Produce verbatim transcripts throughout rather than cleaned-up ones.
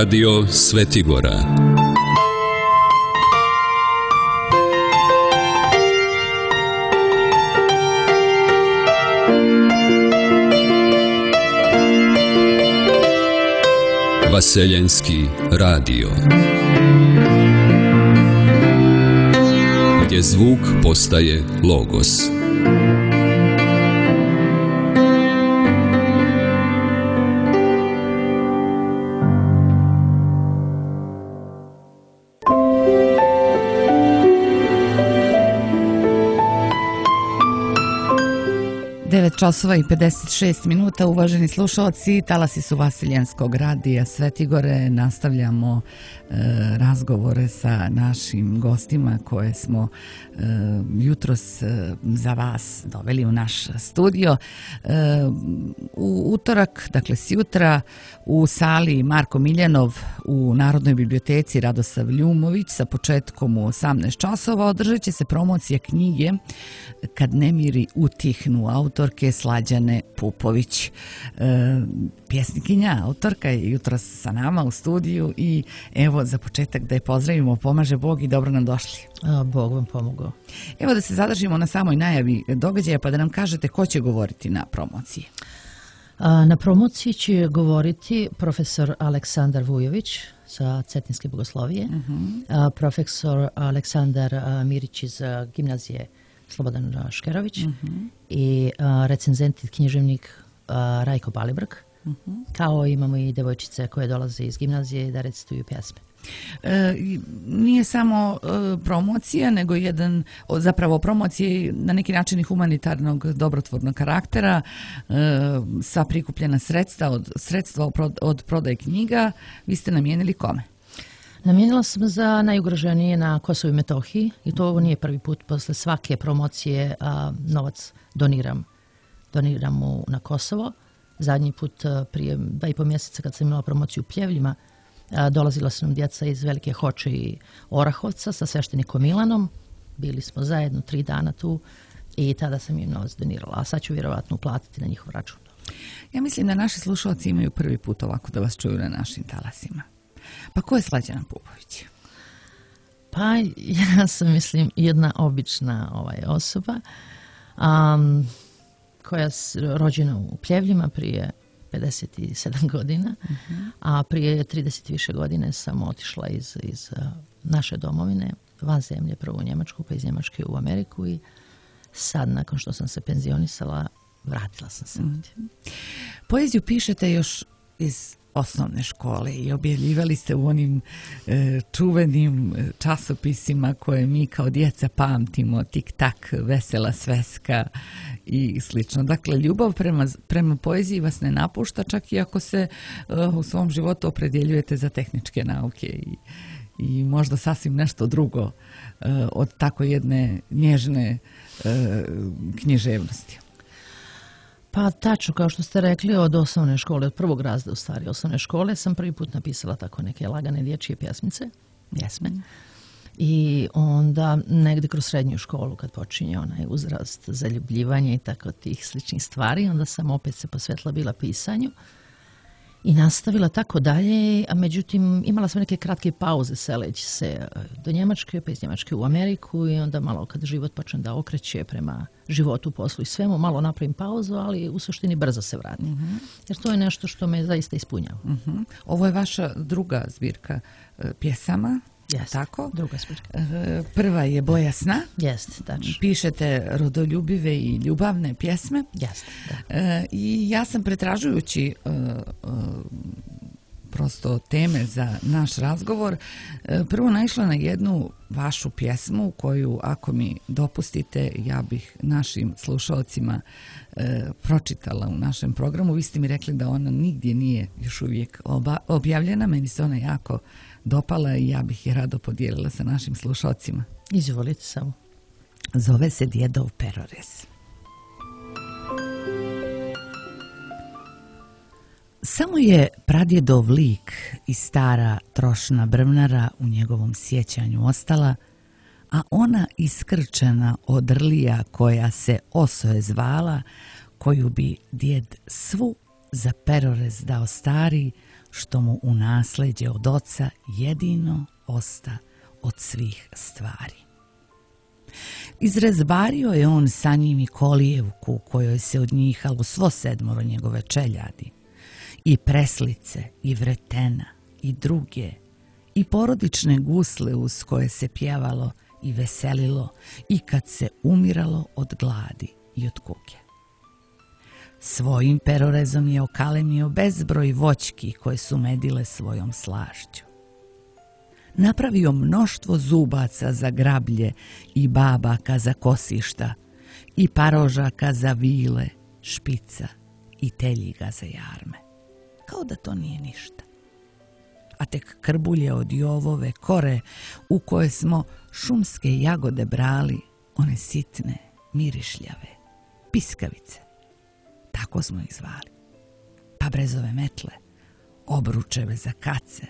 Radio Svetigora. Vaseljenski radio. Gdje zvuk postaje logos. devet časova i pedeset šest minuta, uvaženi slušalci, talasi su Vaseljenskog radija Svetigore. Nastavljamo e, razgovore sa našim gostima koje smo e, jutros e, za vas doveli u naš studio. E, u utorak, dakle sjutra, u sali Marko Miljanov u Narodnoj biblioteci Radosav Ljumović sa početkom u osamnaest časova održat će se promocija knjige Kad nemiri utihnu, autorke Slađane Pupović. E, pjesnikinja, autorka je jutros sa nama u studiju i evo za početak da je pozdravimo, pomaže Bog i dobro nam došli. A, Bog vam pomogao. Evo da se zadržimo na samoj najavi događaja pa da nam kažete ko će govoriti na promociji. A, na promociji će govoriti profesor Aleksandar Vujović sa Cetinske bogoslovije, uh-huh. a, profesor Aleksandar a, Mirić iz a, gimnazije Slobodan Škerović uh-huh. i a, recenzent i književnik a, Rajko Balibrg, uh-huh. kao imamo i devojčice koje dolaze iz gimnazije da recituju pjesme. E, nije samo e, promocija, nego jedan, zapravo promocije na neki način i humanitarnog dobrotvornog karaktera, e, sva prikupljena sredstva od, sredstva od, od prodaje knjiga, vi ste namijenili kome? Namijenila sam za najugroženije na Kosovu i Metohiji i to ovo nije prvi put. Posle svake promocije a, novac doniram, doniram u, na Kosovo. Zadnji put a, prije dva i po mjeseca kad sam imala promociju u Pljevljima, a, dolazila su nam djeca iz Velike Hoče i Orahovca sa sveštenikom Milanom. Bili smo zajedno tri dana tu i tada sam im novac donirala, a sad ću vjerovatno uplatiti na njihov račun. Ja mislim da naši slušalci imaju prvi put ovako da vas čuju na našim talasima. Pa ko je Slađana Pupović? Pa ja sam, mislim, jedna obična ovaj, osoba um, koja je rođena u Pljevljima prije pedeset sedam godina, uh-huh. a prije trideset više godine sam otišla iz, iz uh, naše domovine, van zemlje, prvo u Njemačku, pa iz Njemačke u Ameriku i sad, nakon što sam se penzionisala, vratila sam se ovdje. Uh-huh. Poeziju pišete još iz osnovne škole i objavljivali ste u onim e, čuvenim časopisima koje mi kao djeca pamtimo, Tik tak, Vesela sveska i slično. Dakle, ljubav prema, prema poeziji vas ne napušta, čak i ako se e, u svom životu opredjeljujete za tehničke nauke i, i možda sasvim nešto drugo e, od tako jedne nježne e, književnosti. Pa tačno, kao što ste rekli, od osnovne škole, od prvog razreda u stvari osnovne škole, sam prvi put napisala tako neke lagane dječje pjesmice, pjesme. I onda negdje kroz srednju školu, kad počinje onaj uzrast zaljubljivanja i tako tih sličnih stvari, onda sam opet se posvetila bila pisanju i nastavila tako dalje, a međutim imala sam neke kratke pauze seleći se do Njemačke, pa iz Njemačke u Ameriku i onda malo kad život počne da okreće prema životu, poslu i svemu, malo napravim pauzu, ali u suštini brzo se vratim. Uh-huh. Jer to je nešto što me zaista ispunjava. Uh-huh. Ovo je vaša druga zbirka uh, pjesama. Jeste, tako? Druga zbirka. Uh, prva je Boja sna. Jeste, tačno. Pišete rodoljubive i ljubavne pjesme. Jeste, da. Uh, I ja sam pretražujući uh, uh, prosto teme za naš razgovor, prvo naišla na jednu vašu pjesmu koju, ako mi dopustite, ja bih našim slušalcima e, pročitala u našem programu. Vi ste mi rekli da ona nigdje nije još uvijek oba, objavljena, meni se ona jako dopala i ja bih je rado podijelila sa našim slušalcima. Izvolite samo. Zove se Djedov perorez. Samo je pradjedov lik i stara trošna brvnara u njegovom sjećanju ostala, a ona iskrčena odrlija koja se Osoje zvala, koju bi djed svu za perorez dao stari, što mu u nasleđe od oca jedino osta od svih stvari. Izrezbario je on sa njim i kolijevku u kojoj se odnjihalo svo sedmoro njegove čeljadi, i preslice, i vretena, i druge, i porodične gusle uz koje se pjevalo i veselilo i kad se umiralo od gladi i od kuge. Svojim perorezom je okalemio bezbroj voćki koje su medile svojom slašću. Napravio mnoštvo zubaca za grablje i babaka za kosišta i parožaka za vile, špica i teljiga za jarme. Kao da to nije ništa. A tek krbulje od jovove kore u koje smo šumske jagode brali, one sitne, mirišljave, piskavice. Tako smo ih zvali. Pa brezove metle, obručeve za kace,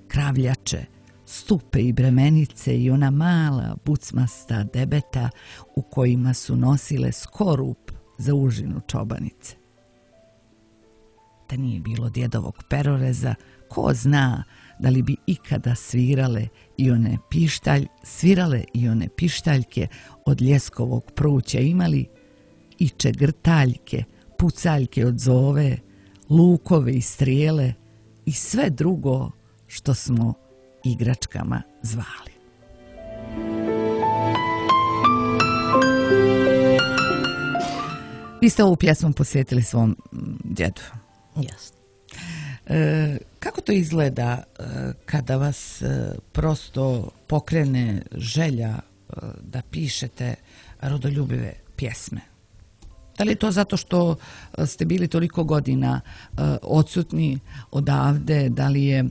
kravljače, stupe i bremenice i ona mala bucmasta debeta u kojima su nosile skorup za užinu čobanice. Da nije bilo djedovog peroreza, ko zna da li bi ikada svirale i one pištalj, svirale i one pištaljke od ljeskovog pruća imali i čegrtaljke, pucaljke od zove, lukove i strijele i sve drugo što smo igračkama zvali. Vi ste ovu pjesmu posvetili svom djedu. Jasno. E, kako to izgleda e, kada vas e, prosto pokrene želja e, da pišete rodoljubive pjesme? Da li je to zato što ste bili toliko godina uh, odsutni odavde, da li je uh,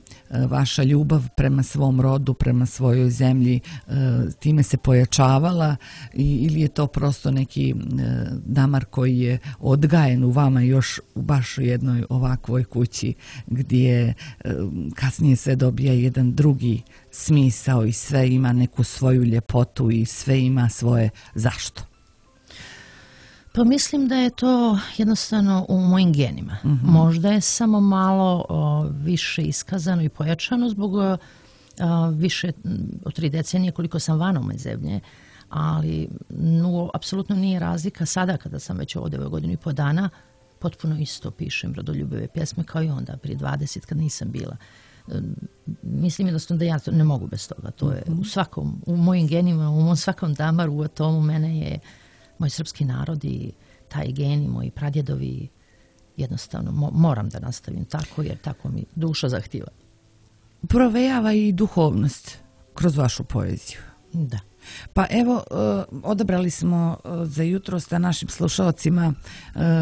vaša ljubav prema svom rodu, prema svojoj zemlji uh, time se pojačavala i, ili je to prosto neki uh, damar koji je odgajen u vama još u baš u jednoj ovakvoj kući gdje uh, kasnije sve dobija jedan drugi smisao i sve ima neku svoju ljepotu i sve ima svoje zašto? Pa mislim da je to jednostavno u mojim genima. Mm-hmm. Možda je samo malo o, više iskazano i pojačano zbog o, više od tri decenije koliko sam van ove zemlje, ali no, apsolutno nije razlika sada kada sam već ovdje ove godinu i po dana, potpuno isto pišem rodoljubive pjesme kao i onda prije dvadeset kad nisam bila. Mislim jednostavno da ja to ne mogu bez toga. To je u svakom, u mojim genima, u mom svakom damaru, u atomu mene je moj srpski narod i taj geni, moji pradjedovi, jednostavno mo- moram da nastavim tako jer tako mi duša zahtjeva. Provejava i duhovnost kroz vašu poeziju. Da. Pa evo, odabrali smo za jutros da našim slušalcima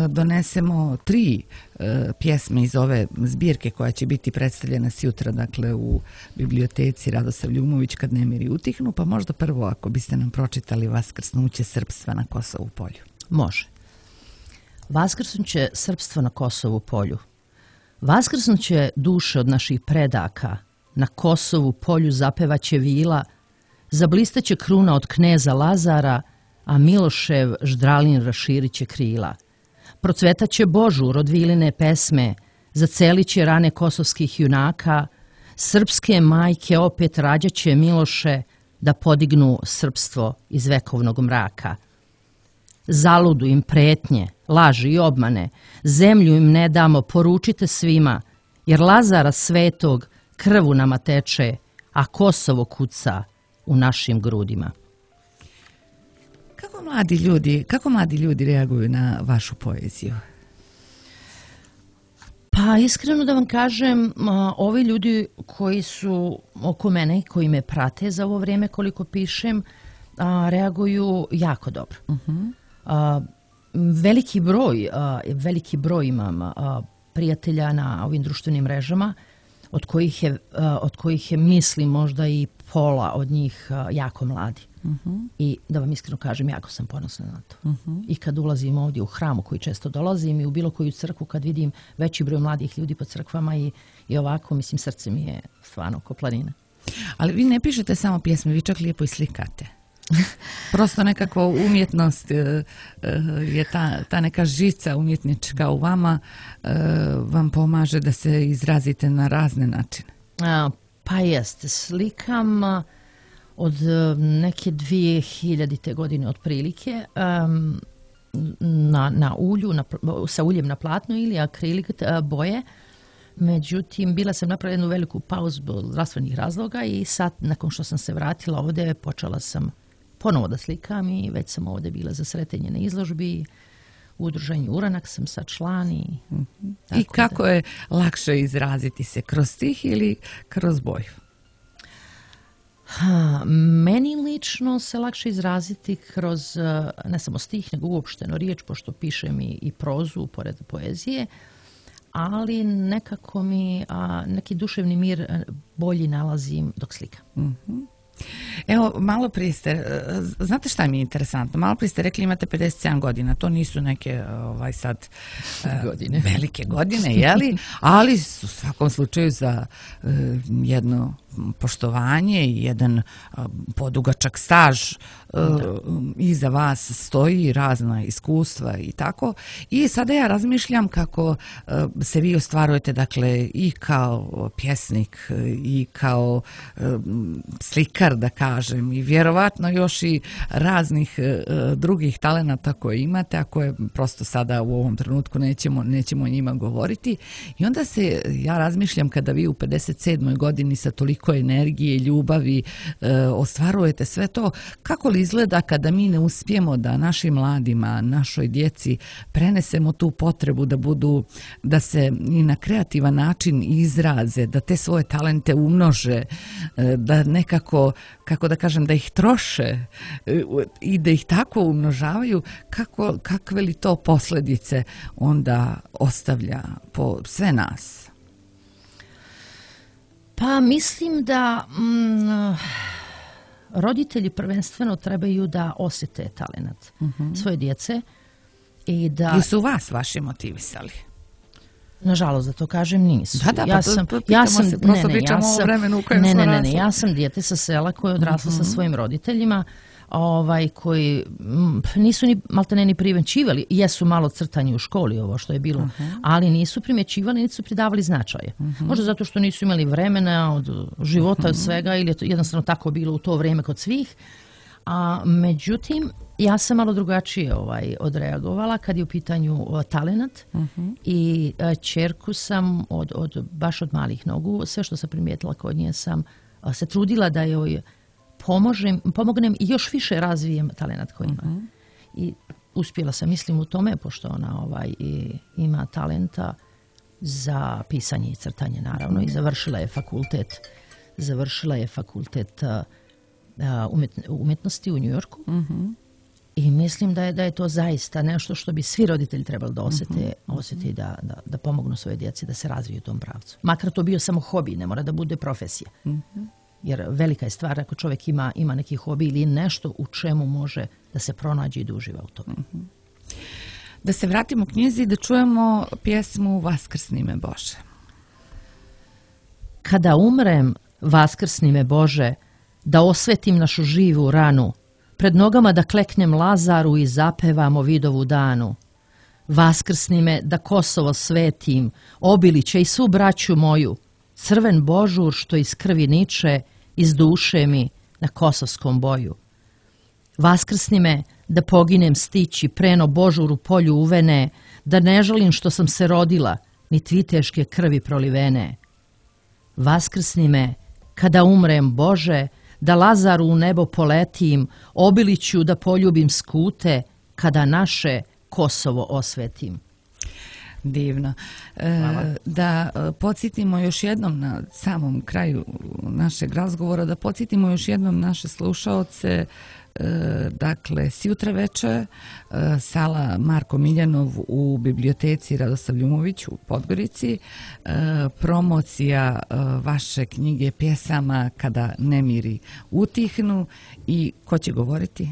donesemo tri pjesme iz ove zbirke koja će biti predstavljena sjutra, dakle u biblioteci Radosav Ljumović kad nemiri utihnu, pa možda prvo ako biste nam pročitali Vaskrsnuće srpstva na Kosovu polju. Može. Vaskrsnuće srpstva na Kosovu polju. Vaskrsnuće duše od naših predaka, na Kosovu polju zapevaće vila, zablistaće kruna od kneza Lazara, a Milošev ždralin raširiće krila. Procvetaće Božur od viline pesme, zaceliće rane kosovskih junaka, srpske majke opet rađaće Miloše da podignu srpstvo iz vekovnog mraka. Zaludu im pretnje, laži i obmane, zemlju im ne damo, poručite svima, jer Lazara svetog krvu nama teče, a Kosovo kuca u našim grudima. Kako mladi ljudi, kako mladi ljudi reaguju na vašu poeziju? Pa iskreno da vam kažem, ovi ljudi koji su oko mene, koji me prate za ovo vrijeme koliko pišem, reaguju jako dobro. Uh-huh. Veliki broj, veliki broj imam prijatelja na ovim društvenim mrežama, od kojih je, od kojih je mislim možda i pola od njih jako mladi. Uh-huh. I da vam iskreno kažem, jako sam ponosna na to. Uh-huh. I kad ulazim ovdje u hram u koji često dolazim i u bilo koju crkvu, kad vidim veći broj mladih ljudi po crkvama i, i ovako, mislim, srce mi je stvarno ko planina. Ali vi ne pišete samo pjesme, vi čak lijepo i slikate. Prosto nekako umjetnost je ta, ta neka žica umjetnička u vama vam pomaže da se izrazite na razne načine. A, pa jeste, slikam od neke dvije hiljadite godine otprilike um, na, na ulju, na, sa uljem na platnu ili akrilik boje. Međutim, bila sam napravila jednu veliku pauzu zbog zdravstvenih razloga i sad, nakon što sam se vratila ovdje, počela sam ponovo da slikam i već sam ovdje bila za sretenje na izložbi. U udruženju Uranak sam sad član. I, mm-hmm. I kako da... je lakše izraziti se, kroz stih ili kroz boju? Ha, meni lično se lakše izraziti kroz ne samo stih, nego uopšteno riječ, pošto pišem i, i prozu pored poezije, ali nekako mi a, neki duševni mir bolji nalazim dok slikam. Mm-hmm. Evo, malo prije ste, znate šta mi je interesantno, malo prije ste rekli imate pedeset sedam godina, to nisu neke ovaj sad godine. velike godine, jeli? Ali u svakom slučaju za uh, jedno poštovanje i jedan uh, podugačak staž uh, iza vas stoji, razna iskustva i tako. I sada ja razmišljam kako uh, se vi ostvarujete, dakle, i kao pjesnik i kao uh, slikar, da kažem, i vjerovatno još i raznih uh, drugih talenata koje imate, a koje prosto sada u ovom trenutku nećemo, nećemo o njima govoriti. I onda se, ja razmišljam, kada vi u pedeset sedmoj godini sa toliko energije, ljubavi uh, ostvarujete sve to, kako li izgleda kada mi ne uspijemo da našim mladima, našoj djeci prenesemo tu potrebu da budu, da se i na kreativan način izraze, da te svoje talente umnože, uh, da nekako, kako da kažem, da ih troše i da ih tako umnožavaju, kako, kakve li to posljedice onda ostavlja po sve nas? Pa mislim da mm, roditelji prvenstveno trebaju da osjete talenat uh-huh. svoje djece i da... I su vas vaši motivisali? Nažalost, da to kažem, nisu. Da, da, ja pa sam, to, ja sam, se, prosto ne, ne, pričamo ja sam, o vremenu u kojem ne, smo ne, ne, rasli. ne, ja sam dijete sa sela koje je odraslo uh-huh. sa svojim roditeljima, ovaj, koji m, nisu ni maltene ni primjećivali, jesu malo crtanje u školi, ovo što je bilo, uh-huh. ali nisu primjećivali, niti su pridavali značaje. Uh-huh. Možda zato što nisu imali vremena od života, uh-huh. od svega, ili je to jednostavno tako bilo u to vrijeme kod svih. A međutim, ja sam malo drugačije ovaj, odreagovala kad je u pitanju o, talenat uh-huh. i a, ćerku sam od, od, baš od malih nogu, sve što sam primijetila kod nje sam a, se trudila da joj pomožem, pomognem i još više razvijem talenat koji ima. Uh-huh. I uspjela sam, mislim, u tome, pošto ona ovaj, i, ima talenta za pisanje i crtanje, naravno, uh-huh. i završila je fakultet, završila je fakultet a, umjetnosti u New Yorku. Uh-huh. I mislim da je, da je to zaista nešto što bi svi roditelji trebali da osjete, uh-huh. osjeti da, da, da pomognu svoje djeci da se razviju u tom pravcu. Makar to bio samo hobi, ne mora da bude profesija. Uh-huh. Jer velika je stvar ako čovjek ima, ima neki hobi ili nešto u čemu može da se pronađe i da uživa u tome. Uh-huh. Da se vratimo u knjizi i da čujemo pjesmu Vaskrsni me Bože. Kada umrem, vaskrsni me Bože, da osvetim našu živu ranu, pred nogama da kleknem Lazaru i zapevam o vidovu danu. Vaskrsni me da Kosovo svetim, Obiliće i svu braću moju, crven božur što iz krvi niče, iz duše mi na kosovskom boju. Vaskrsni me da poginem stići preno božur u polju uvene, da ne žalim što sam se rodila, ni tviteške krvi prolivene. Vaskrsni me kada umrem, Bože, da Lazaru u nebo poletim, Obiliću da poljubim skute, kada naše Kosovo osvetim. Divno. E, da podsjetimo još jednom na samom kraju našeg razgovora, da podsjetimo još jednom naše slušaoce, e, dakle, sjutra veče, e, sala Marko Miljanov u biblioteci Radosav Ljumović u Podgorici, e, promocija e, vaše knjige pjesama Kada nemiri utihnu. I ko će govoriti?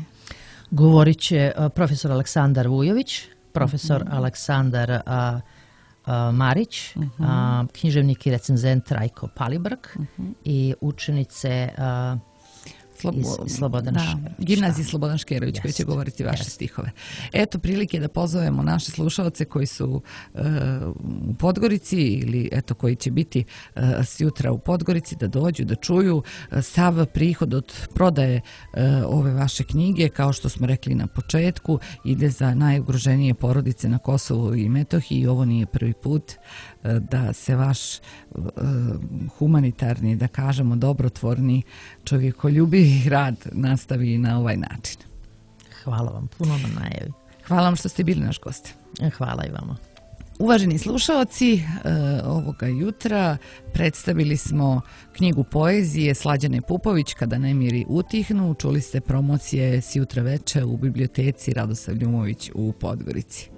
Govorit će uh, profesor Aleksandar Vujović, profesor uh-huh. Aleksandar a, a, Marić, uh-huh. a, književnik i recenzent Rajko Palibrk uh-huh. i učenice a, Slobo... iz Slobodan da, gimnaziji Slobodan Škerović koji će govoriti vaše jest. stihove. Eto prilike da pozovemo naše slušalce koji su uh, u Podgorici ili eto koji će biti uh, sjutra u Podgorici da dođu, da čuju uh, sav prihod od prodaje uh, ove vaše knjige, kao što smo rekli na početku, ide za najugroženije porodice na Kosovu i Metohiji. Ovo nije prvi put uh, da se vaš uh, humanitarni, da kažemo dobrotvorni, čovjekoljubivi rad nastavi na ovaj način. Hvala vam puno na najavi. Hvala vam što ste bili naš gost. Hvala i vama. Uvaženi slušaoci, e, ovoga jutra predstavili smo knjigu poezije Slađane Pupović Kada nemiri utihnu. Čuli ste promocije s jutra veče u biblioteci Radosav Ljumović u Podgorici.